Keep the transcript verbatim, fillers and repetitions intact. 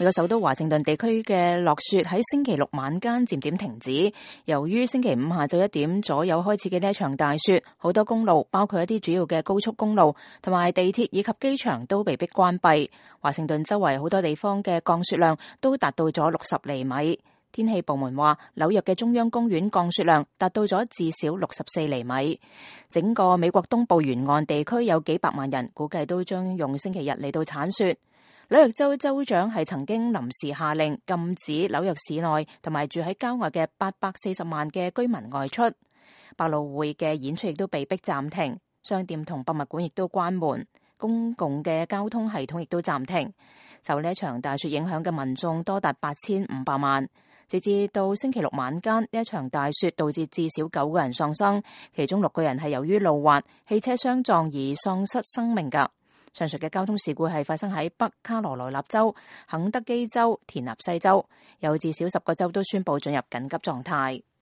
美國首都華盛頓地區嘅落雪喺星期六晚間漸漸停止，由於星期五下晝一點左右開始嘅呢一場大雪，好多公路，包括一啲主要嘅高速公路同埋地鐵以及機場都被迫關閉。華盛頓周圍好多地方嘅降雪量都達到咗六十厘米。天氣部門話，紐約嘅中央公園降雪量達到咗至少六十四厘米。整個美國東部沿岸地區有幾百萬人，估計都將用星期日嚟到鏟雪。紐約州州長係曾經臨時下令禁止紐約市內同埋住喺郊外嘅八百四十萬嘅居民外出。百老匯嘅演出亦都被迫暫停，商店同博物館亦都關門，公共嘅交通系統亦都暫停。受呢一場大雪影響嘅民眾多達八千五百萬。直至到星期六晚間，呢一場大雪導致至少九個人喪生，其中六個人係由於路滑、汽車相撞而喪失生命㗎。上述嘅交通事故係發生喺北卡羅來納州、肯德基州、田納西州，有至少十個州都宣布進入緊急狀態。